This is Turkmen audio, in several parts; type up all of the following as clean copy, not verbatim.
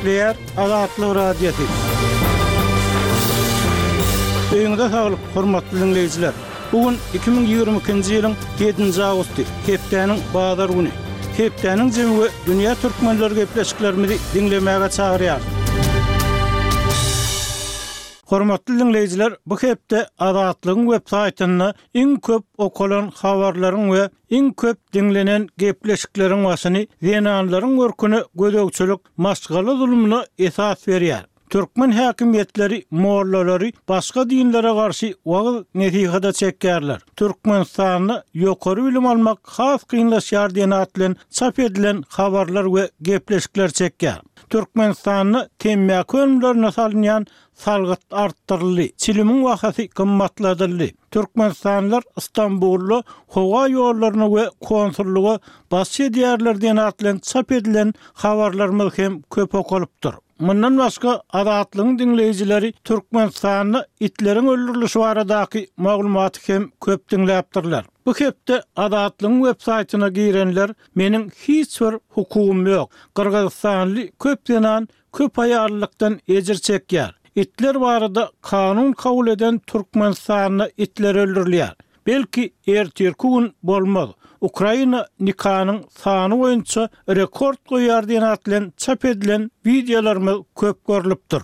Gepleýär Azatlyk Radiosy. Öýüňize saglyk, hormatly diňleýjiler! Bu gün 2022-nji ýylyň ýedinji awgusty, hepdäniň bazar güni. Hepdäniň jemi we dünýä türkmenleri gepleşiklerimizi diňlemäge çagyrýarys. Hormatly diňleýjiler, bu hepde Azatlygyň web saýtynda iň köp okalan habarlaryň we iň köp diňlenen gepleşikleriň başyny zenanlaryň görküne gözegçilik maşgala zulumyna esas berýär. Türkmen häkimiýetleri mollalary başga dinlere garşy wagyz-nesihada çekýärler. Türkmenistanda ýokary bilim almak has kynlaşýar diýen at bilen çap edilen habarlar we gepleşikler çekýär. Türkmenistanda temmäki önümlerine salynýan salgyt artdyryldy, çilimiň bahasy gymmatladyldy. Türkmenistanlylar Stambulda howa ýollaryna we konsullyga basyş edýärler diýen at bilen çap edilen habarlarymyz hem köp okalypdyr. Mundan başga, Azatlygyň diňleýjileri Türkmenistanda itleriň öldürilişi baradaky maglumaty hem köp diňläpdirler. Bu hepde Azatlygyň websaýtyna girenler Meniň hiç bir hukugym ýok. Gyrgyzystanly köp zenan köp aýallykdan ejir çekýär. Itler barada kanun kabul eden Türkmenistanda itler öldürilýär. Belki ertirki gün bolmaz. Ukraina nikanyň sany boýunça rekord goýýar diýen at bilen çap edilen wideolarymyz köp görlüpdir.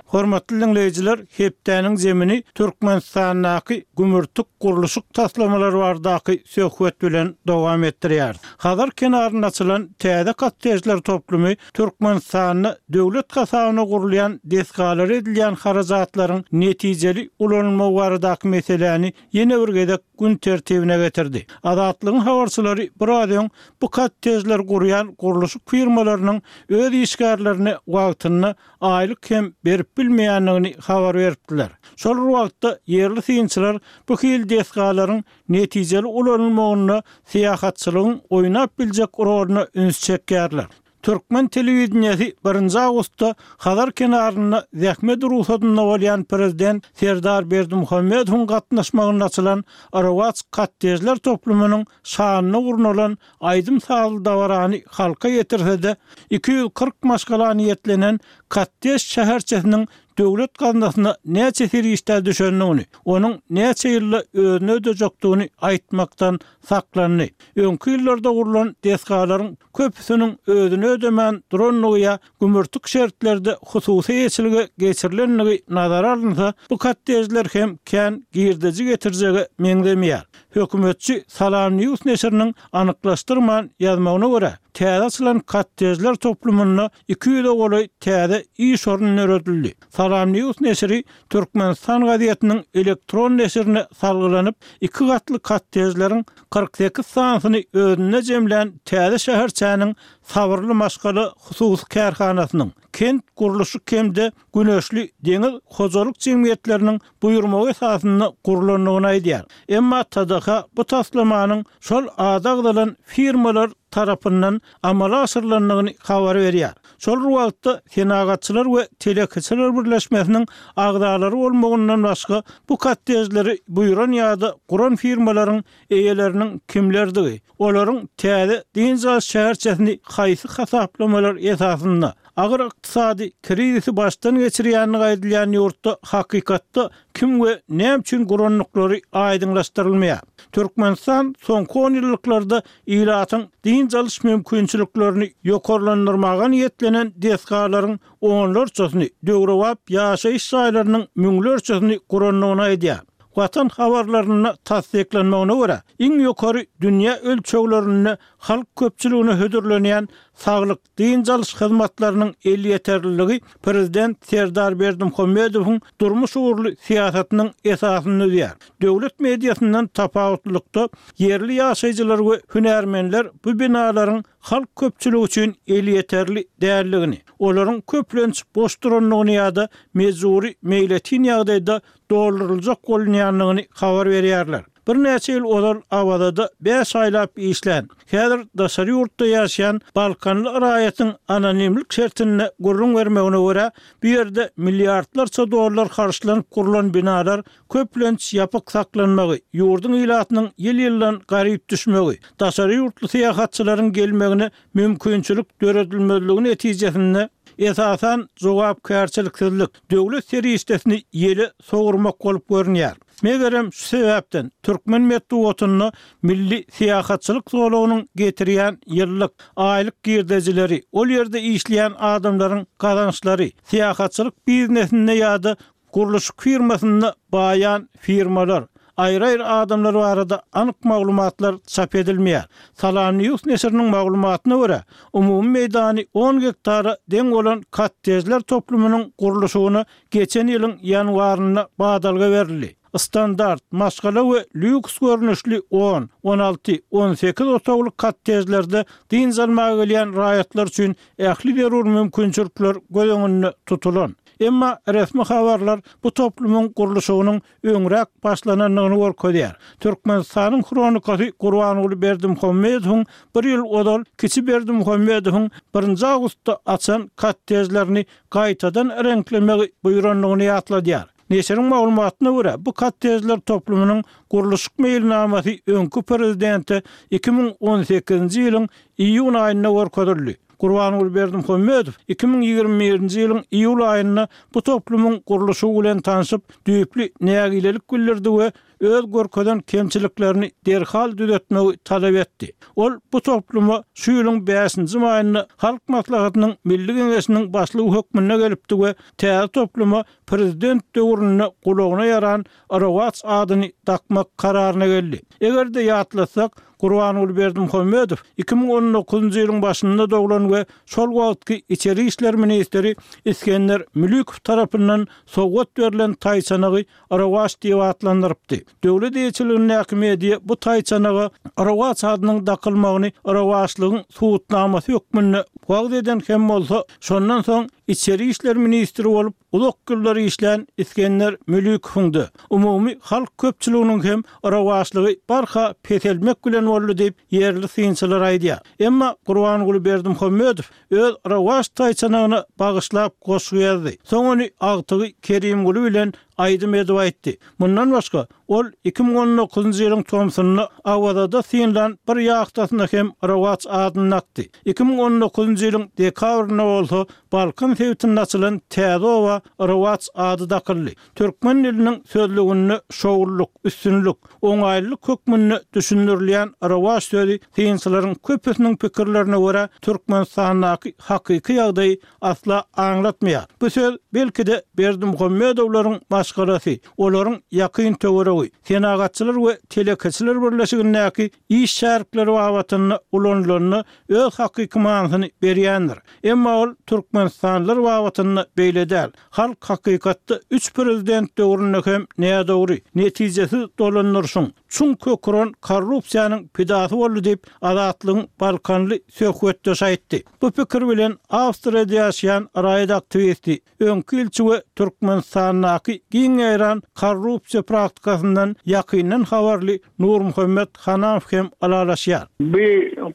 Hormatly diňleýjiler, hepdäniň zemini Türkmenistandaky gümürtik gurluşyk taslamalary baradaky söhbet bilen dowam etdirýäris. Hazar kenarynda açylan täze kottejler toplumy Türkmenistanda döwlet hasabyna gurulýan desgalara edilýän harajatlaryň netijeli ulanylmagy baradaky meseläni ýene bir gezek gün tertibine getirdi. Azatlygyň habarçylary biraz öň bu kottejleri gurýan gurluşyk firmalarynyň öz işgärlerine wagtynda aýlyk hem berip bilmeýändigini habar beripdiler. Şol bir wagtda, ýerli synçylar bu hili desgalaryň netijeli ulanylmagynda syýahatçylygyň oýnap biljek roluna üns çekýärler. Türkmen telewideniýesi birinji awgustda Hazar kenarynda zähmet rugsadynda bolýan prezident Serdar Berdimuhamedowyň gatnaşmagynda açylan Rowaç kottejler toplumynyň şanyna gurnalan aýdym-sazly dabarany halka ýetirse-de, 240 maşgala niýetlenen kottej şäherçesiniň döwlet gaznasyna näçe serişdä düşendigini, onuň näçe ýylda özüni ödejekdigini aýtmakdan saklandy. Öňki ýyllarda gurlan desgalaryň köpüsiniň özüni ödemän durandygy ýa gümürtik şertlerde hususy eýeçilige geçirilendigi nazara alynsa, bu kottejler hem kän girdeji getirjege meňzemeýär. Hökümetçi SalamNews neşiriniň anyklaşdyrman ýazmagyna görä, täze açylan kottejler toplumynda 200-e golaý täze iş orny döredildi. SalamNews neşiri Türkmenistan gazetiniň elektron neşirine salgylanyp, iki gatly kottejleriň 48 sanysyny özünde jemlän täze şäherçäniň Sabyrly maşgala hususy kärhanasynyň, Kent gurluşyk hem-de Güneşli deňiz hojalyk jemgyýetleriniň buýurmagy esasynda gurlandygyny aýdýar. Emma TDH bu taslamanyň şol ady agzalan firmalar tarapyndan amala aşyrylandygyny habar berýär. Şol bir wagtda, Senagatçylar we telekeçiler birleşmesiniň agzalary bolmagyndan başga bu kottejleri buýran ýa-da guran firmalaryň eýeleriniň kimlerdigi, olaryň täze dynç alyş şäherçesini haýsy hasaplamalar esasynda, agyr ykdysady krizisi başdan geçirýändigi aýdylýan ýurtda hakykatda kim we näme üçin gurandyklary aýdyňlaşdyrylmaýar. Türkmenistan soňky onýyllyklarda ilatyň dynç alyş mümkinçiliklerini ýokarlandyrmaga niýetlenen desgalaryň onlarçasyny, döwrebap ýaşaýyş jaýlarynyň müňlerçesini gurandygyny aýdýar. Watan habarlarynda tassyklanmagyna görä, iň ýokary dünýä ölçeglerinde halk köpçüligine hödürlenýän saglyk dynç alyş hyzmatlarynyň elýeterliligi prezident Serdar Berdimuhamedowyň durmuş ugurly syýasatynyň esasyny düzýär. Döwlet mediasyndan tapawutlylykda, ýerli ýaşaýjylar we hünärmenler bu binalaryň halk köpçüligi üçin elýeterli däldigini, olaryň köplenç boş durandygyny ýa-da mejbury meýletin ýagdaýda dolduryljak bolunýandygyny habar berýärler. Birnäçe ýyl ozal Awazada bäş aýlap işlän, häzir daşary ýurtda ýaşaýan balkanly raýatyň anonimlik şertinde gürrüň bermegine görä, bu ýerde milliardlarça dollar harçlanyp gurlan binalar köplenç ýapyk saklanmagy, ýurduň ilatynyň ýyl-ýyldan garyp düşmegi, daşary ýurtly syýahatçylaryň gelmegine mümkinçilik döredilmezligi netijesinde, esasan, jogapkärçiliksizlik, döwlet serişdesini ýele sowurmak bolup görünýär. Megerem, şu sebäpden, türkmen metbugatynda milli syýahatçylyk zolagynyň getirýän ýyllyk, aýlyk girdejileri, ol ýerde işleýän adamlaryň gazançlary, syýahatçylyk biznesinde ýa-da Gurluşyk firmasynda baýan firmalar, aýry-aýry adamlar barada anyk maglumatlar çap edilmeýär. Salamnews neşiriniň maglumatyna görä, umumy meýdany on gektara deň bolan kottejler toplumynyň gurluşygyna geçen ýylyň ýanwarynda badalga berildi. Standart, maşgala we lýuks görnüşli on, 16, 18 otagly kottejlerde dynç almaga gelýän raýatlar üçin ähli zerur mümkinçilikler göz öňünde tutulan. Emma resmi habarlar bu toplumyň gurluşygynyň öňräk başlanandygyny görkezýär. Türkmenistanyň Hronikasy Gurbanguly Berdimuhamedowyň bir ýyl ozal kiçi Berdimuhamedowyň birinji awgustda açan kottejlerini gaýtadan reňklemegi buýrandygyny ýatladýar. Neşiriň maglumatyna görä, bu kottejler toplumynyň gurluşyk meýilnamasy öňki prezidente 2018-nji ýylyň iýun aýynda görkezildi. Gurbanguly Berdimuhamedow 2021-nji ýylyň iýul aýynda bu toplumyň gurluşygy bilen tanşyp, düýpli nägilelik bildirdi we öz görkezen kemçiliklerini derhal düzetmegi talap etdi. Ol bu topluma şu ýylyň bäşinji maýynda Halk Maslahatynyň Milli Geňeşiniň başlygy hökmünde gelipdi we täze topluma prezident döwründe gulagyna ýaran Rowaç adyny dakmak kararyna geldi. Eger-de ýatlasak, Gurbanguly Berdimuhamedow 2019-njy ýylyň başynda doglan we şol wagtky içeri işler ministri Isgender Mülükow tarapyndan sowgat berlen taýçanagy Rowaç diýip atlandyrypdy. Döwlet eýeçiligindäki media bu taýçanaga Rowaç adynyň dakylmagyny rowaçlygyň subutnamasy hökmünde wagyz eden hem bolsa, şondan soň içeri işler ministri bolup Uzak ýyllar işlän Isgender Mülükowyň-da, umumy halk köpçüliginiň hem rowaçlygy barha peselmek bilen boldy diýip, ýerli synçylar aýdýar. Emma Gurbanguly Berdimuhamedow öz rowaç taýçanagyna bagyşlap goşgy ýazdy. Soň ony agtygy Kerimguly bilen aýdym edip aýtdy. Mundan başga, ol 2019-njy ýylyň tomsunda Awazada synlan bir ýahtasyna hem Rowaç adyny dakdy. 2019-njy ýylyň dekabrynda bolsa Balkan sebitinde açylan täze oba Rowaç ady dakyldy. Türkmen diliniň sözlüginde şowlulyk, üstünlik, oňaýlylyk hökmünde düşündirilýän rowaç sözi synçylaryň köpüsiniň pikirlerine görä Türkmenistandaky hakyky ýagdaýy asla aňlatmaýar. Bu söz, belki-de, Berdimuhamedowlaryň maşgalasy, olaryň ýakyn töweregi, Senagatçylar we telekeçiler birleşigindäki iş şärikleri babatynda ulanylanda öz hakyky manysyny berýändir. Emma ol türkmenistanlylar babatynda beýle däl. Halk hakykatda üç prezident döwründe hem nädogry, netijesiz dolandyryşyň, çuň kök uran korrupsiýanyň pidasy boldy diýip, Azatlygyň balkanly söhbetdeşi aýtdy. Bu pikir bilen Awstriýada ýaşaýan raýat aktiwisti, öňki ilçi we Türkmenistandaky giň ýaýran korrupsiýa praktikasyndan ýakyndan habarly Nurmuhammet Hanamow hem ylalaşýar. Bu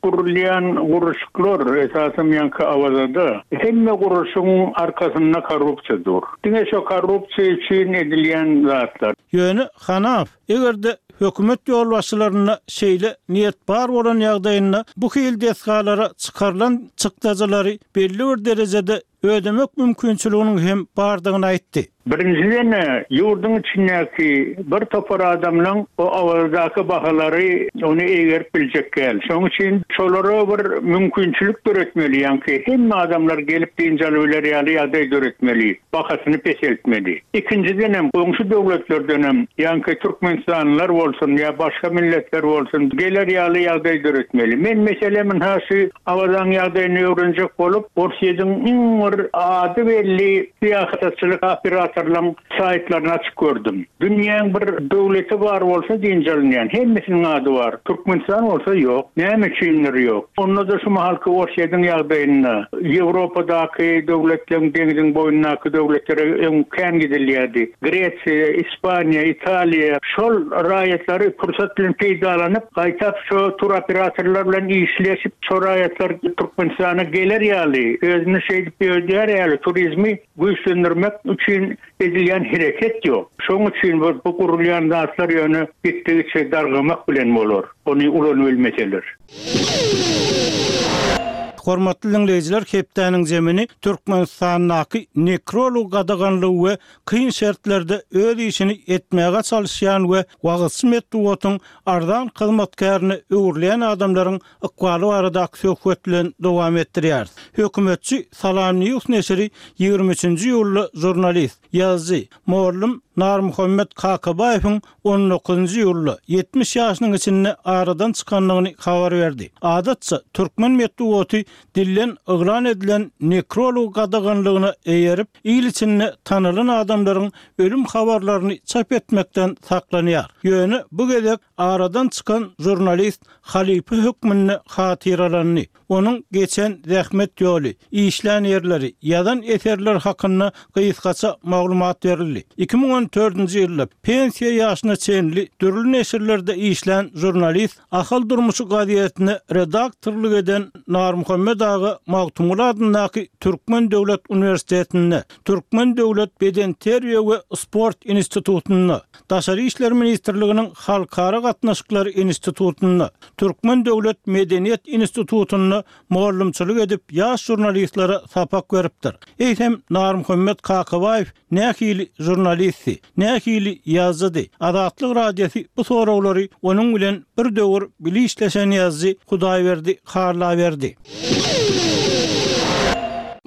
gurulýan gurluşyklar, esasam ýaňky Awazada, hemme gurluşygyň arkasynda korrupsiýa dur. Diňe şo korrupsiýa üçin edilýän zatlar. Ýöne Hanamow, eger-de hökümet ýolbaşçylarynda şeýle niýet bar bolan ýagdaýynda bu hili desgalara çykarylan çykdajylary belli bir derejede ödemek mümkinçiliginiň hem bardygyny aýtdy. Birinjiden-ä, ýurduň içindäki bir topar adamlaň o Awazadaky bahalary ony eýgerip biljek däl. Şonuň üçin şolara bir mümkinçilik döretmeli, ýaňky hemme adamlar gelip dynç alybiler ýaly ýagdaý döretmeli, bahasyny peseltmeli. Ikinjidenem, goňşy döwletlerdenem, ýaňky türkmenistanlylar bolsun ýa başga milletler bolsun, geler ýaly ýagdaý döretmeli. Men meselem, ynha şu Awazaň ýagdaýyny öwrenjek bolup, Orsýetiň iň bir. bir ady belli syýahatçylyk operatorlaryň saýtlaryny açyp gördüm. Dünýäň bir döwleti bar bolsa dynç alynýan, hemmesiniň ady bar. Türkmenistan bolsa ýok. Näme üçindir ýok. Onda-da şu mahalky Orsýetiň ýagdaýynda, Ýewropadaky döwletleň deňziň boýundaky döwletlere öň kän gidilýärdi. Gresiýa, Ispaniýa, Italiýa şol raýatlary pursat bilen peýdalanyp, gaýtap şo turoperatorlar bilen işleşip, şo raýatlar Türkmenistana geler ýaly, özüni şeýdip ýöredýär ýaly turizmi güýçlendirmek üçin edilýän hereket ýok. Şoň üçin bu bu gurulýan zatlar ýöne gitdigiçe dargamak bilen bolar, ony ulanybilmeseler. Hormatly diňleýjiler hepdäniň zemini Türkmenistandaky nekrolog gadaganlygy we kyn şertlerde öz işini etmäge çalyşýan we wagyzçy metbugatyň arzan hyzmatkärine öwrülýän adamlaryň ykbaly baradaky söhbet bilen dowam etdirýäris. Hökümetçi Salam News neşiri 23-nji iýulda žurnalist, ýazyjy, mollum Narmuhammet Kakabaýewiň on dokuzynjy iýulda, 70 ýaşynyň içinde aradan çykandygyny habar berdi. Adatça, türkmen metbugaty dilden yglan edilen nekrolog gadaganlygyna eýerip, il içinde tanalan adamlaryň ölüm habarlaryny çap etmekden saklanýar. Ýöne bu gezek aradan çykan žurnalist halypa hökmünde hatyralandy. Onuň geçen zähmet ýoly, işlän ýerleri, ýazan eserleri hakynda gysgaça maglumat berildi. 2014-nji ýylda pensiýa ýaşyna çenli dürli neşirlerde işlän žurnalist Ahal durmuşy gazetine redaktorlyk eden Narmuhammet aga Magtymguly adyndaky Türkmen döwlet uniwersitetinde, Türkmen döwlet bedenterbiýe we sport institutynda, Daşary işler ministrliginiň Halkara gatnaşyklary institutynda, Türkmen döwlet medeniýet institutynda mugallymçylyk edip, ýaş žurnalistlere sapak beripdir. Eýsem, Narmuhammet Kakabaýew nähili žurnalistdi? Nähili ýazyjydy? Azatlyk Radiosy bu soraglary onuň bilen bir döwür bile işleşen ýazyjy Hudaýberdi Halla berdi.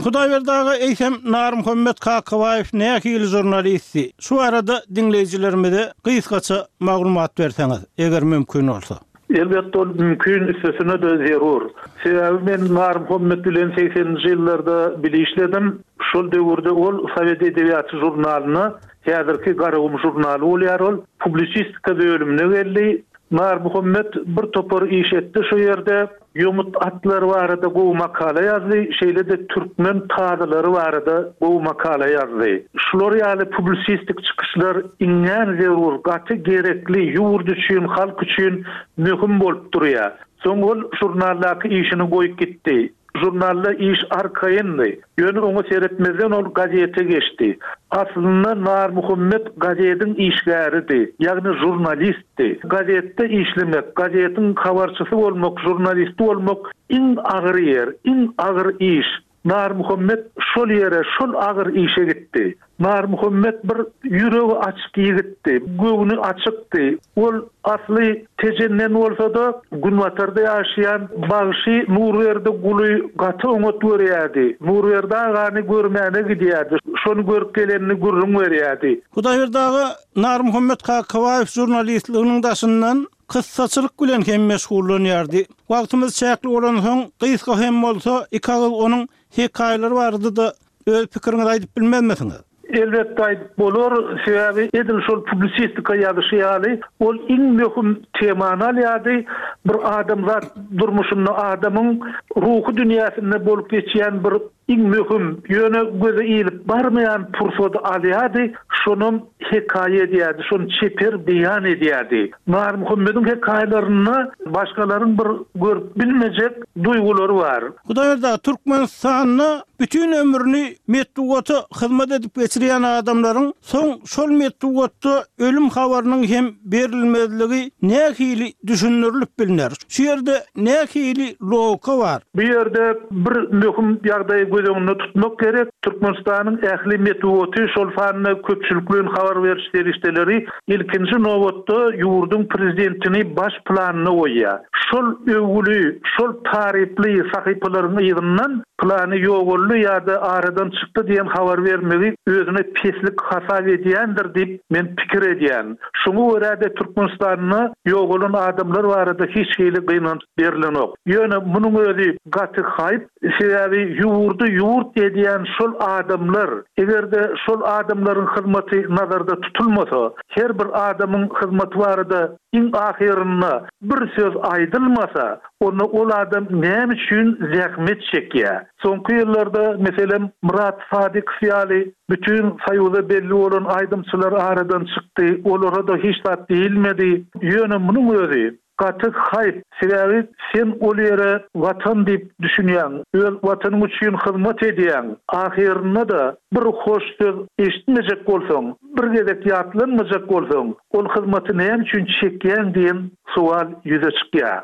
Hudaýberdi aga, eýsem, Narmuhammet Kakabaýew nähili žurnalistdi? Şu barada diňleýjilerimize gysgaça maglumat berseňiz, eger mümkin bolsa. Elbetde ol mümkin, üstesine-de zerur. Sebäbi men Narmuhammet bilen segseninji ýyllarda bile işledim. Şol döwürde ol Sowet edebiýaty žurnalyna, häzirki Garagum žurnaly bolýar ol, publisistika bölümine geldi. Narmuhammet bir topar iş etdi şo ýerde. Ýomut atlary barada gowy makala ýazdy, şeýle-de türkmen tazylary barada gowy makala ýazdy. Şular ýaly publisistik çykyşlar iňňän zerur, gaty gerekli, ýurt üçin, halk üçin möhüm bolup durýar. Soň ol žurnaldaky işini goýup gitdi. Žurnalda iş arkaýyndy. Ýöne oňa seretmezden ol gazete geçdi. Aslynda Narmuhammet gazediň işgäridi, ýagny žurnalistdi. Gazetde işlemek, gazetiň habarçysy bolmak, žurnalisti bolmak iň agyr ýer, iň agyr iş. Narmuhammet şol ýere, şol agyr işe gitdi. Narmuhammet bir ýüregi açyk ýigitdi, göwni açykdy. Ol asly Tejenden bolsa-da, günbatarda ýaşaýan bagşy Nurberdi Guly gaty oňat görýärdi. Nurberdi agany görmäne gidýärdi, şony görüp gelenini gürrüň berýärdi. Hudaýberdi aga Narmuhammet Kakabaýew žurnalistliginiň daşyndan kyssaçylyk bilen hem meşgullanýardy. Wagtymyz çäkli bolansoň, gysga hem bolsa, iki agyz onuň hekaýalary barada-da Öz pikiriňizi aýdyp bilmezmisiňiz? Elbetde aýdyp bolar, sebäbi edil şol publisistika ýazyşy ýaly, ol iň möhüm temany alýardy, bir adamzat durmuşynda adamyň ruhy dünýäsinde bolup geçýän bir iň möhüm, ýöne göze ilip barmaýan pursady alýardy, şonam hekaýa edýärdi, şony çeper beýan edýärdi. Narmuhammediň hekaýalarynda başgalaryň bir görüp bilmejek duýgulary bar. Hudaýberdi aga, Türkmenistanda bütin ömrüni metbugata hyzmat edip geçirýän adamlaryň soň şol metbugatda ölüm habarynyň hem berilmezligi nähili düşündirilip bilner? Şu ýerde nähili logika bar? Bu ýerde bir möhüm ýagdaýy göz öňünde tutmak gerek, Türkmenistanyň ähli metbugaty, şol sanda köpçülikleýin habar beriş serişdeleri ilkinji nobatda ýurduň prezidentini baş planda goýýar. Şol öwgüli, şol taryply sahypalaryň yzyndan. Pylany ýogaldy ýa-da aradan çykdy diýen habar bermegi özüne peslik hasap edýändir diýip men pikir edýän. Şoňa görä-de Türkmenistanda ýogalan adamlar barada hiç hili gynanç berlenok. Ýöne munuň özi gaty haýp, sebäbi ýurdy ýurt edýän şol adamlar, eger-de şol adamlaryň hyzmaty nazarda tutulmasa, her bir adamyň hyzmaty barada iň ahyrynda bir söz aýdylmasa, Onda ol adam näme üçin zähmet çekýär? Soňky ýyllarda, meselem, Myrat Sadykow ýaly bütin Soýuza belli bolan aýdymçylar aradan çykdy, olara-da hiç zat diýilmedi. Ýöne munuň özi gaty haýp, sebäbi sen ol ýere Watan diýip düşünýäň, öz Watanyň üçin hyzmat edýäň, ahyrynda-da bir hoş söz eşitmejek bolsaň, bir gezek ýatlanmajak bolsaň, ol hyzmaty näme üçin çekýäň diýen sowal ýüze çykýar.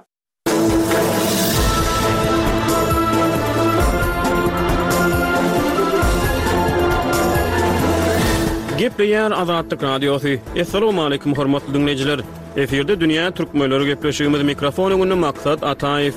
Gepleýär Azatlyk Radiosy. Assalamualaikum hormatly diňleýjiler. Efirde dünýä türkmenleri gepleşigimiz mikrofon öňünde Maksat Ataýew.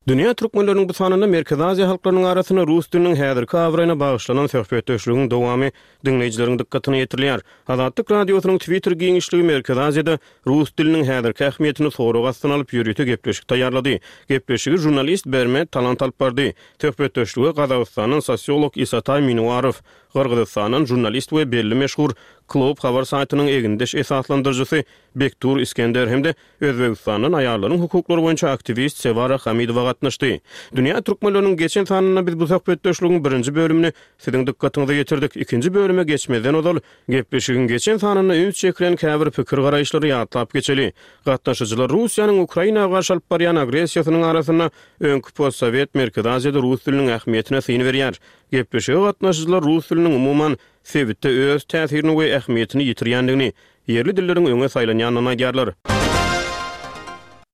Dünýä türkmenleriniň bu sanynda Merkezi Aziýa halklarynyň arasynda rus diliniň häzirki abraýyna bagyşlanan söhbetdeşligiň dowamy diňleýjileriň dykgatyna ýetirilýär. Azatlyk Radiosynyň Twitter giňişligi Merkezi Aziýada rus diliniň häzirki ähmiýetini sorag astyna alyp ýörite gepleşik taýýarlady. Gepleşigi žurnalist Bermet Talant alyp bardy. Söhbetdeşlige Gazagystandan sosiolog Isataý Minuarow, Gyrgyzystandan žurnalist we belli meşhur Kloop habar saýtynyň egindeş esaslandyryjysy Bektur Iskender hem-de Özbegistandan aýallaryň hukuklary boýunça aktiwist Sewara Hamidowa gatnaşdy. Dünýä türkmenleriniň geçen sanynda biz bu söhbetdeşligiň birinji bölümini siziň dykgatyňyza ýetirdik. Ikinji bölüme geçmezden ozal, gepleşigiň geçen sanynda üns çekilen käbir pikir-garaýyşlary ýatlap geçeli. Gatnaşyjylar Russiýanyň Ukraina garşy alyp barýan agressiýasynyň arasynda öňki postsowet Merkezi Aziýada rus diliniň ähmiýetine syn berýär. Gepleşige gatnaşyjylar rus diliniň umuman sebitde öz täsirini we ähmiýetini ýitirýändigini, ýerli dilleriň öňe saýlanýandygyny aýdýarlar.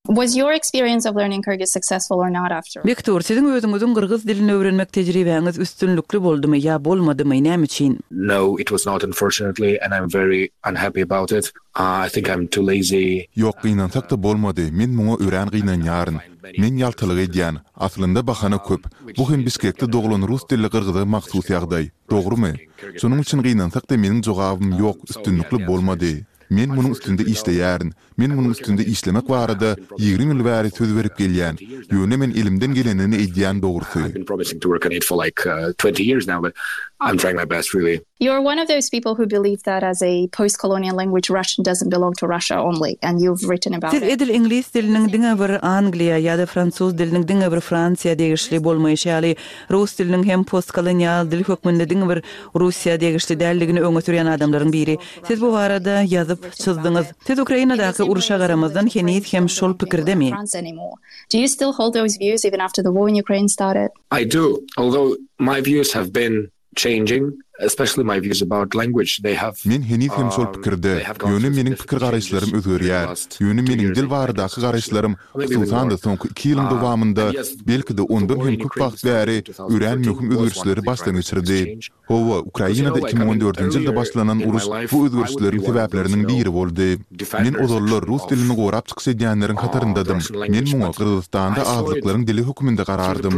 Was your experience of learning Kyrgyz successful or not after all? Bektur, siziň özüňiziň gyrgyz dilini öwrenmek tejribäňiz üstünlikli boldumy ýa bolmadymy, näme üçin? No, it was not unfortunately and I'm very unhappy about it. I think I'm too lazy. Ýok, gynansak-da bolmady, men muňa örän gynanýaryn. Men ýaltalyk edýän. Aslynda bahana köp. Bu hem Bişkekde doglan rus dilli gyrgyza mahsus ýagdaý. Dogrumy? Şonuň üçin gynansak-da meniň jogabym ýok, üstünlikli bolmady. Men munuň üstünde işleýärin. Men munuň üstünde işlemek barada 20 ýyl bäri söz berip gelýän. Ýöne men elimden gelenini edýän dogrusy. You are one of those people who believe that as a post-colonial language Russian doesn't belong to Russia only and you've written about Siz it. edil iňlis diliniň diňe bir Angliýa ýa-da fransuz diliniň diňe bir Fransiýa degişli bolmaýşy ýaly, Rus diliniň hem postkolonial dil hökmünde diňe bir Russiýa degişli däldigini öňe sürýän adamlaryň biri. Siz bu barada ýazyp, çyzdyňyz. Siz Ukrainadaky urşa garamazdan heniz hem şol pikirdemi? Do you still hold those views even after the war in Ukraine started? I do, although my views have been changing, especially my views about language, they have Men heniz hem şol pikirde, ýöne meniň pikir-garaýyşlarym özgerýär. Ýöne meniň dil baradaky garaýyşlarym, hususan-da, soňky iki ýylyň dowamynda, belki-de ondan hem köp wagt bäri örän möhüm özgerişleri başdan geçirdi. Hawa, Ukrainada 2014-nji ýylda başlanan uruş bu özgerişleriň sebäpleriniň biri boldy. Men ozallar rus dilini gorap çykyş edýänleriň hataryndadym. Men muňa Gyrgyzystanda azlyklaryň dili hökmünde garardym.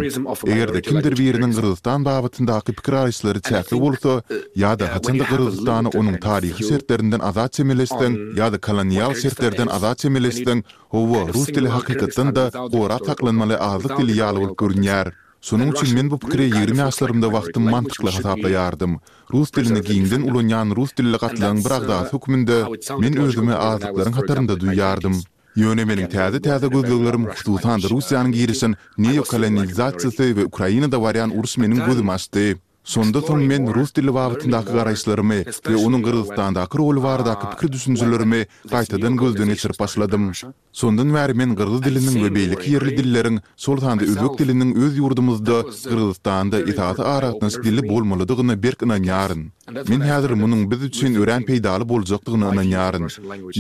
Eger-de kimdir biriniň Gyrgyzystan babatyndaky pikir-garaýyşlary çäkli bolsa, ýa-da haçanda Gyrgyzystana onuň taryhy şertlerinden azat çemeleşseň ýa-da kolonial şertlerden azat çemeleşseň, hawa, rus dili hakykatdan-da gorap saklanmaly azlyk dili ýaly bolup görünýär. Şonuň üçin men bu pikiri 20 ýaşlarymda wagtym mantykly hasaplaýardym. Rus dilini giňden ulanýan rus dilli gatlagyň bir agzasy hökmünde men özümi azlyklaryň hatarynda duýýardym. Ýöne meniň täze-täze gözleglerim, hususan-da Russiýanyň girişen neokolonizasiýasy we Ukrainada barýan uruş meniň gözümi açdy. Şonda soň men rus dili babatyndaky garaýyşlarymy we onuň Gyrgyzystandaky roly baradaky pikir-düşünjelerimi gaýtadan gözden geçirip başladym. Şondan bäri men gyrgyz diliniň we beýleki ýerli dilleriň, şol sanda özbek diliniň öz ýurdumyzda, Gyrgyzystanda esasy aragatnaşyk dili bolmalydygyna berk ynanýaryn. Men häzir munuň biz üçin örän peýdaly boljakdygyna ynanýaryn.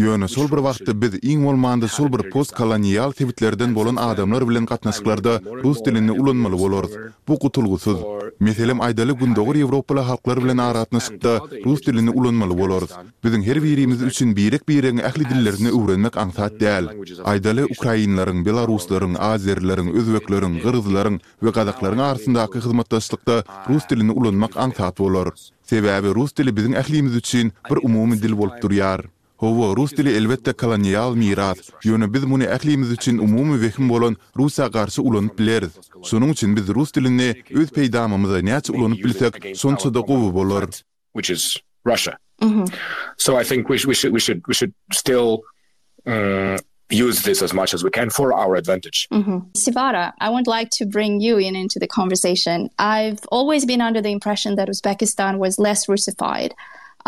Ýöne şol bir wagtda biz iň bolmanda şol bir postkolonial sebitlerden bolan adamlar bilen gatnaşyklarda rus dilini ulanmaly bolarys. Bu gutulgysyz. Meselem, aýdaly gündogar ýewropaly halklar bilen aragatnaşykda rus dilini ulanmaly bolarys. Biziň her birimiz üçin birek-biregiň ähli dillerini öwrenmek aňsat däl. Aýdaly, ukrainleriň, belaruslaryň, azerileriň, özbekleriň, gyrgyzlaryň we gazaklaryň arasyndaky hyzmatdaşlykda rus dilini ulanmak aňsat bolar. Sebäbi rus dili biziň ählimiz üçin bir umumy dil bolup durýar. Hawa, rus dili elbetde kolonial miras, ýöne biz muny ählimiz üçin umumy wehim bolan Russiýa garşy ulanyp bileris. Şonuň üçin biz rus dilini öz peýdamymyza näçe ulanyp bilsek, şonça-da gowy bolar. which is Russia. Mm-hmm. So I think we, we should we should we should still um, use this as much as we can for our advantage. Mm-hmm. Sivara, I would like to bring you in into the conversation. I've always been under the impression that Uzbekistan was less Russified.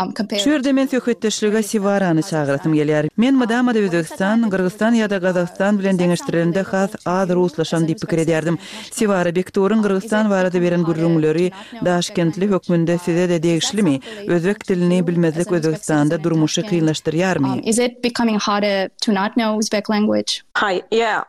Um, Şu ýerde men söhbetdeşlige Siwarany çagyrasym gelýär. Men mydama-da Özbegistan, Gyrgyzystan ýa-da Gazagystan bilen deňeşdirilende has az ruslaşan diýip pikir edýärdim. Siwara Bekturyň Gyrgyzystan barada beren gürrüňleri Daşkentli hökmünde size-de degişlimi? Özbek dilini bilmezlik Özbegistanda durmuşy kynlaşdyrýarmy? Is it becoming harder to not know Uzbek language? Hi, yeah,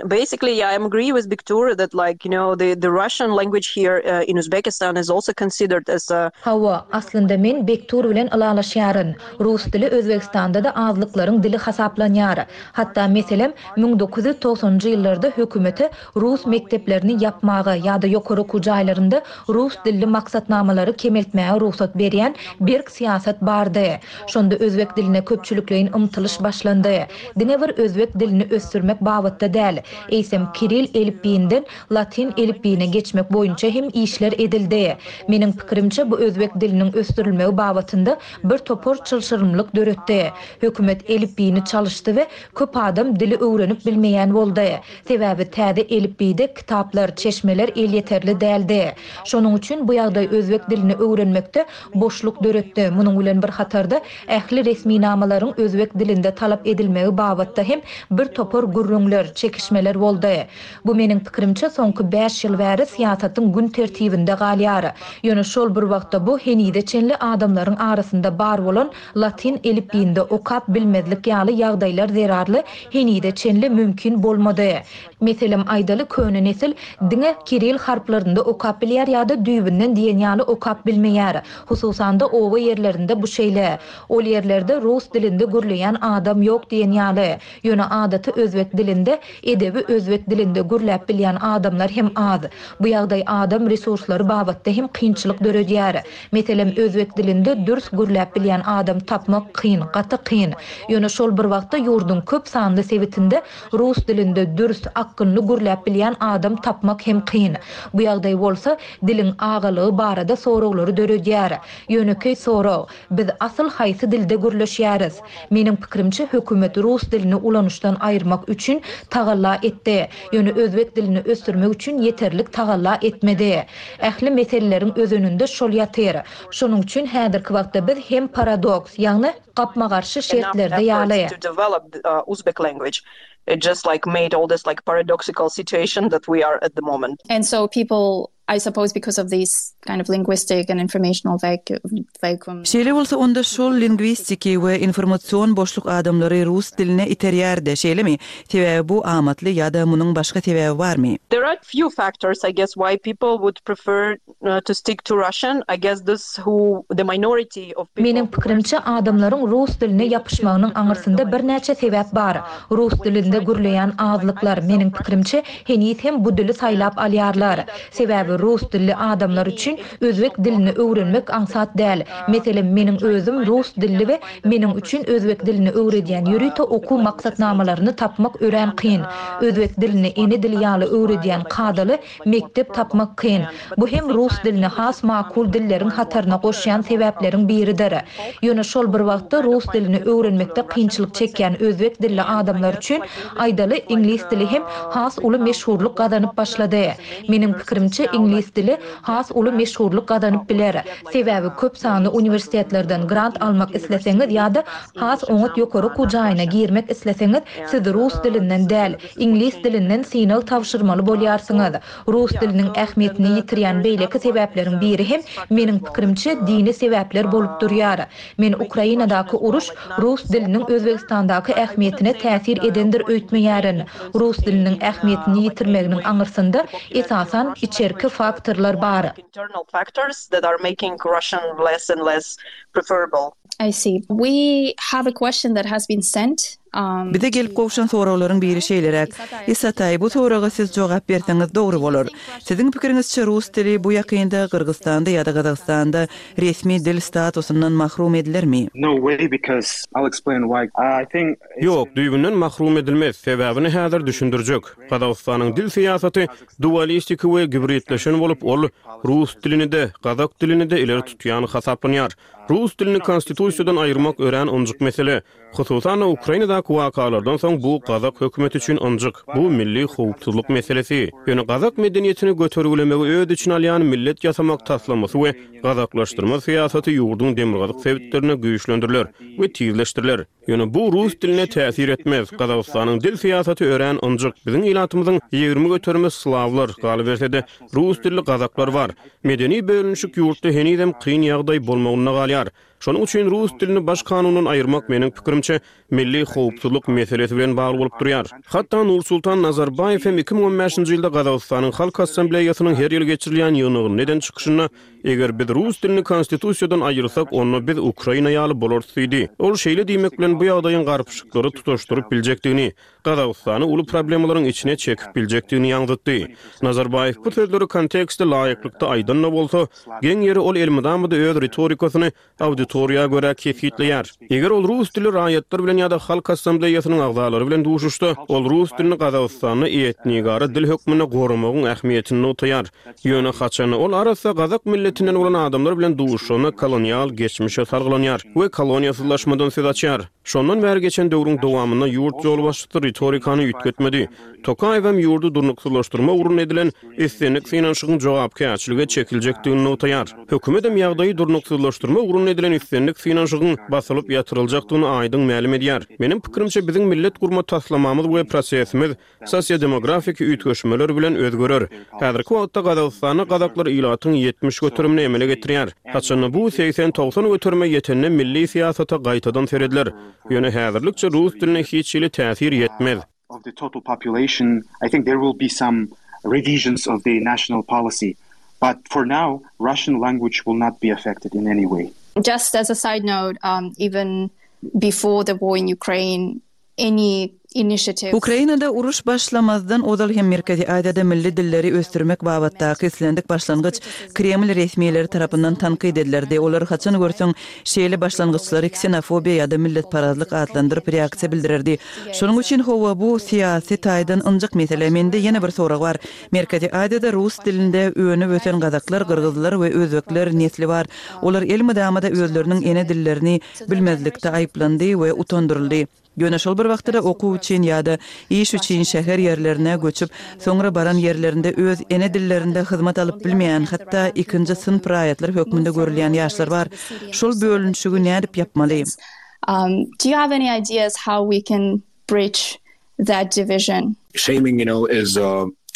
basically yeah, I agree with Bektur that like, you know, the the Russian language here in Uzbekistan is also considered as a Hawa, aslynda men Bektur bilen ylalaşýaryn. Rus dili Özbegistanda-da azlyklaryň dili hasaplanýar. Hatda, meselem, 1990-njy ýyllarda hökümete rus mekdeplerini ýapmaga ýa-da ýokary okuw jaýlarynda rus dilli maksatnamalary kemeltmäge rugsat berýän berk syýasat bardy. Şonda özbek diline köpçülikleýin ymtylyş başlandy. Diňe bir özbek dilini ösdürmek babatda däl, eýsem kiril elipbiýinden latyn elipbiýine geçmek boýunça hem işler edildi. Meniň pikirimçe, bu özbek diliniň ösdürilmegi babatynda bir topar çylşyrymlyk döretdi. Hökümet elipbiýini çalyşdy we köp adam dili öwrenip bilmeýän boldy. Sebäbi täze elipbiýde kitaplar, çeşmeler elýeterli däldi. Şonuň üçin bu ýagdaý özbek dilini öwrenmekde boşluk döretdi. Munuň bilen bir hatarda, ähli resminamalaryň özbek dilinde talap edilmegi babatda hem bir topar gürrüňler, çekişmeler boldy. Bu meniň pikirimçe, soňky bäş ýyl bäri syýasatyň gün tertibinde galýar. Ýöne şol bir wagtda bu henize çenli adamlaryň arasynda bar bolan latyn elipbiýinde okap bilmezlik ýaly ýagdaýlar zerarly henize çenli mümkin bolmady. Meselem, aýdaly, köne nesil diňe kiril harplarynda okap bilýär ýa-da düýbünden diýen ýaly okap bilmeýär. Hususan-da, oba ýerlerinde bu şeýle. Ol ýerlerde rus dilinde gürleýän adam ýok diýen ýaly. Ýöne adaty özbek dilinde, edebi özbek dilinde gürläp bilýän adamlar hem az. Bu ýagdaý adam resurslary babatda hem kynçylyk döredýär. Meselem, özbek dilinde dürs gürläp bilýän adam tapmak kyn, gaty kyn. Ýöne şol bir wagtda ýurduň köp sanly sebitinde rus dilinde dürs, akgynly gürläp bilýän adam tapmak hem kyn. Bu ýagdaý bolsa, diliň agalygy barada soraglary döredýär. Ýönekeý sorag, Biz asyl haýsy dilde gürleşýäris? Meniň pikirimçe, hökümet rus dilini ulanyşdan aýyrmak üçin tagalla etdi. Ýöne özbek dilini ösdürmek üçin ýeterlik tagalla etmedi. Ähli meseleleriň özeninde şol ýatyr. Şonuň üçin häzirki wagtda biz hem paradoks, ýagny gapma-garşy şertlerde ýaly. And so people I suppose because of this kind of linguistic and informational vacuum. Şeýle bolsa onda şol lingwistiki we informasion boşluk adamlary rus diline iterýär-dä, şeýlemi? Sebäbi bu amatly ýa-da munuň başga sebäbi barmy? There are few factors I guess why people would prefer to stick to Russian. I guess this who the minority of people Meniň pikirimçe, adamlaryň rus diline ýapyşmagynyň aňyrsynda birnäçe sebäp bar. Rus dilinde gürleýän azlyklar, meniň pikirimçe, heniz hem bu dili saýlap alýarlar. Sebäbi rus dilli adamlar üçin özbek dilini öwrenmek aňsat däl. Meselem, meniň özüm rus dilli we meniň üçin özbek dilini öwredýän ýörite okuw maksatnamalaryny tapmak örän kyn. Özbek dilini ene dili ýaly öwredýän kadaly mekdep tapmak kyn. Bu hem rus dilini has makul dilleriň hataryna goşýan sebäpleriň biridir. Ýöne şol bir wagtda. wagtda rus dilini öwrenmekde kynçylyk çekýän özbek dilli adamlar üçin, aýdaly, iňlis dili hem has uly meşhurlyk gazanyp başlady. Meniň pikirimçe, iňlis dili has uly meşhurlyk gazanyp biler. Sebäbi köp sanly uniwersitetlerden grant almak isleseňiz ýa-da has oňat ýokary okuw jaýyna girmek isleseňiz, siz rus dilinden däl, iňlis dilinden synag tabşyrmaly bolýarsyňyz. Rus diliniň ähmiýetini ýitirýän beýleki sebäpleriň biri hem, meniň pikirimçe, dini sebäpler bolup durýar. Men Ukrainadaky uruş rus diliniň Özbegistandaky ähmiýetine täsir edendir öýtmeýärin. Rus diliniň ähmiýetini ýitirmeginiň aňyrsynda, esasan, içerki faktorlar bar. Internal factors that are making Russian less and less preferable. I see. We have a question that has been sent Bize gelip gowşan soraglaryň biri şeýleräk, Isataý, bu soraga siz jogap berseňiz dogry bolar. Siziň pikiriňizçe rus dili bu ýakynda Gyrgyzystanda ýa-da Gazagystanda resmi dil statusyndan mahrum edilermi? No way because I'll explain why. I think it's. Ýok, düýbünden mahrum edilmez. Sebäbini häzir düşündirjek. Gazagystanyň dil syýasaty dualistiki we gibridleşen bolup, ol rus dilini-de, gazak dilini-de ileri tutýan hasaplanýar. Rus dilini konstitusiýadan aýyrmak örän ynjyk mesele. Hususan-da, Ukrainadaky wakalardan soň bu gazak hökümeti üçin ynjyk, bu milli howpsuzlyk meselesi. Ýöne gazak medeniýetini götergilemegi öz içine alýan millet ýasamak taslamasy we gazaklaşdyrma syýasaty ýurduň demirgazyk sebitlerinde güýçlendiriler we tizleşdiriler. Ýöne bu rus diline täsir etmez. Gazagystanyň dil syýasaty örän ynjyk. Biziň ilatymyzyň 20 göterimi slawlar, galyberse-de, rus dilli gazaklar bar. Medeni bölünişik ýurtda henizem kyn ýagdaý bolmagynda galýar. Şonuň üçin rus dilini baş kanundan aýyrmak, meniň pikirimçe, milli howpsuzlyk meselesi bilen bagly bolup durýar. Hatda Nursultan Nazarbaýew hem 2015-nji ýylda Gazagystanyň Halk Assambleýasynyň her ýyl geçirilýän ýygnagynda eden çykyşynda, Eger biz rus dilini konstitusiýadan aýyrsak, onda biz Ukraina ýaly bolarys diýdi. Ol şeýle diýmek bilen bu ýagdaýyň garpyşyklary tutaşdyryp biljekdigini, Gazagystany uly problemalaryň içine çekip biljekdigini ýaňzytdy. Nazarbaýew bu sözleri kontekste laýyklykda aýdan-da bolsa, geň ýeri ol elmydama-da öz ritorikasyny auditoriýa görä kesgitleýär. Eger ol rus dilli raýatlar bilen ýa-da Halk Assambleýasynyň agzalary bilen duşuşsa, ol rus dilini Gazagystanda etnigara dil hökmünde goramagyň ähmiýetini nygtaýar. Ýöne haçanda ol arassa gazak milletinden bolan adamlar bilen duşuşanda kolonial geçmişe salgylanýar we koloniýasyzlaşmadan söz açýar. Şondan bäri geçen döwrüň dowamynda ýurt ýolbaşçysy ritorikany üýtgetmedi. Tokaýewem ýurdy durnuksyzlaşdyrma ugrunda edilen islendik synanyşygyň jogapkärçilige çekiljekdigini nygtaýar. Hökümetem ýagdaýy durnuksyzlaşdyrma ugrunda edilen islendik synanyşygyň basylyp ýatyryljakdygyny aýdyň mälim edýär. Meniň pikirimçe, biziň millet gurma taslamamyz we prosesimiz Sosiodemografiki üýtgeşmeler bilen özgerer. Häzirki wagtda Gazagystanda gazaklar ilatyň 70 göterimini emele getirýär. Haçanda bu 80-90 göterime ýetende milli syýasata gaýtadan serediler. Ýöne häzirlikçe rus diline hiç hili täsir ýetmez. of the total population, I think there will be some revisions of the national policy. But for now, Russian language will not be affected in any way. Just as a side note, um, even before the war in Ukraine, any initiatives. Ukrainada uruş başlamazdan ozal hem Merkezi Aziýada milli dilleri ösdürmek babatdaky islendik başlangyç Kreml resmileri tarapyndan tankyt edilerdi. Olar haçan görseň şeýle başlangyçlary ksenofobiýa ýa-da milletparazlyk atlandyryp reaksiýa bildirerdi. Şonuň üçin hawa bu syýasy taýdan ynjyk mesele. Mende ýene bir sorag bar. Merkezi Aziýada rus dilinde önüp-ösen gazaklar, gyrgyzlar we özbekler nesli bar. Olar elmydama-da özleriniň ene dillerini bilmezlikde aýyplandy we utandyryldy. Ýöne şol bir wagtda-da okuw üçin ýa-da iş üçin şäher ýerlerine göçüp, soňra baran ýerlerinde öz ene dillerinde hyzmat alyp bilmeýän, hatda ikinji synp raýatlar hökmünde görülýän ýaşlar bar. Şol bölünişigi nädip ýapmaly? Do you have any ideas how we can bridge that division? Shaming, you know, is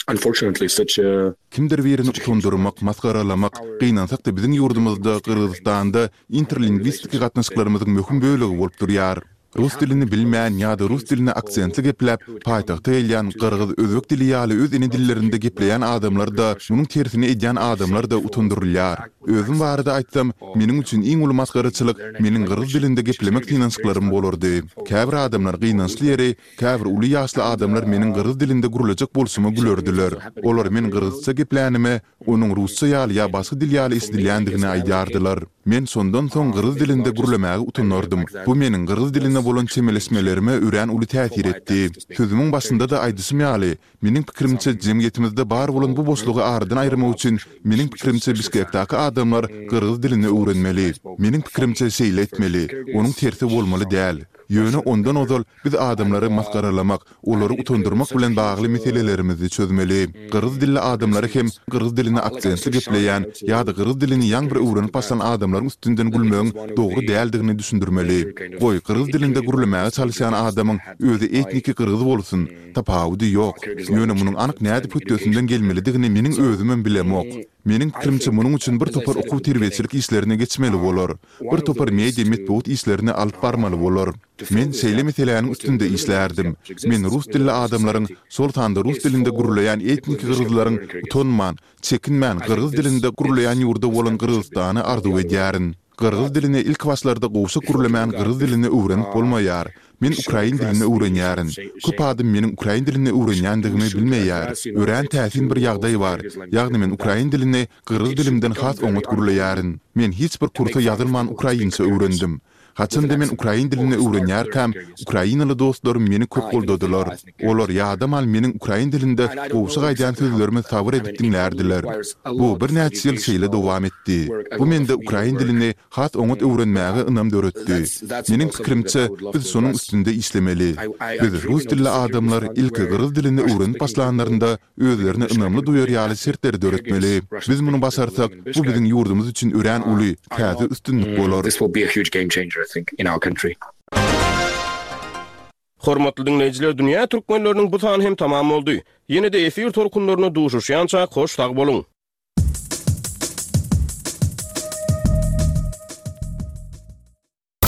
unfortunately such a. Kimdir birini utandyrmak, masgaralamak, gynansak-da biziň ýurdumyzda, Gyrgyzystanda interlingwistiki gatnaşyklarymyzyň möhüm bölegi bolup durýar. Rus dilini bilmän ýa-da rus dilini aksentli gepläp, paýtagta gelýän gyrgyz, özbek dili ýaly öz ene dillerinde gepleýän adamlar-da, munuň tersini edýän adamlar-da utandyrylýar. Özüm barada aýtsam, meniň üçin iň uly masgaraçylyk meniň gyrgyz dilinde geplemek synanyşyklarym bolardy. Käbir adamlar gynançly ýeri, käbir uly ýaşly adamlar meniň gyrgyz dilinde gürlejek bolşuma gülerdiler. Olar men gyrgyzça geplänime, onuň rusça ýaly ýa başga dil ýaly eşidilýändigini aýdýardylar. Men şondan soň gyrgyz dilinde gürlemäge utanardym. Bu meniň gyrgyz diline bolan çemeleşmelerime örän uly täsir etdi. Sözümiň başynda-da aýdyşym ýaly, meniň pikirimçe, jemgyýetimizde bar bolan bu boşlugy aradan aýyrmak üçin, meniň pikirimçe, Bişkekdäki adamlar gyrgyz dilini öwrenmeli. Meniň pikirimçe, şeýle etmeli. Onuň tersi bolmaly däl. Ýöne ondan ozal biz adamlary masgaralamak, olary utandyrmak bilen bagly meselelerimizi çözmeli. Gyrgyz dilli adamlary hem gyrgyz dilini aksentli gepleýän ýa-da gyrgyz dilini ýaňy bir öwrenip başlan adamlaryň üstünden gülmegiň dogry däldigini düşündirmeli. Goý, gyrgyz dilinde gürlemäge çalyşýan adamyň özi etniki gyrgyz bolsun, tapawudy ýok. Ýöne munuň anyk nädip hötdesinden gelmelidigini meniň özümem bilemok. Meniň pikirimçe munuň üçin bir topar okuw-terbiýeçilik işlerini geçmeli bolar. Bir topar media metbugat işlerini alyp barmaly bolar. Men şeýle meseläniň üstünde işlärdim. Men rus dilli adamlaryň, şol sanda rus dilinde gürleýän etniki gyrgyzlaryň utanman, çekinmän gyrgyz dilinde gürleýän ýurdy bolan Gyrgyzystany arzuw edýärin. Gyrgyz dilini ilkibaşlarda gowşak gürlemän gyrgyz dilini öwrenip bolmaýar. Men ukrain dilini öwrenýärin. Köp adam meniň ukrain dilini öwrenýändigimi bilmeýär. Örän täsin bir ýagdaý bar, ýagny men ukrain dilini gyrgyz dilimden has oňat gürleýärin. Men hiç bir kursa ýazylman ukrainça öwrendim. Haçanda men ukrain dilini öwrenýärkäm, ukrainaly dostlarym meni köp goldadylar. Olar ýadaman meniň ukrain dilinde gowşak aýdýan sözlerimi sabyr edip diňlärdiler. Bu birnäçe ýyl şeýle dowam etdi. Bu mende ukrain dilini has oňat öwrenmäge ynam döretdi. Meniň pikirimçe, biz şonuň üstünde işlemeli. Biz rus dilli adamlar ilki gyrgyz dilini öwrenip başlanlarynda özlerini ynamly duýar ýaly şertleri döretmeli. Biz muny başarsak, bu biziň ýurdumyz üçin örän uly, täze üstünlik bolar. Hormatly diňleýjiler Dünýä Türkmenleriniň bu sany hem tamam boldy. Ýene-de efir tolkunlarynda duşuşýançak hoş sag boluň!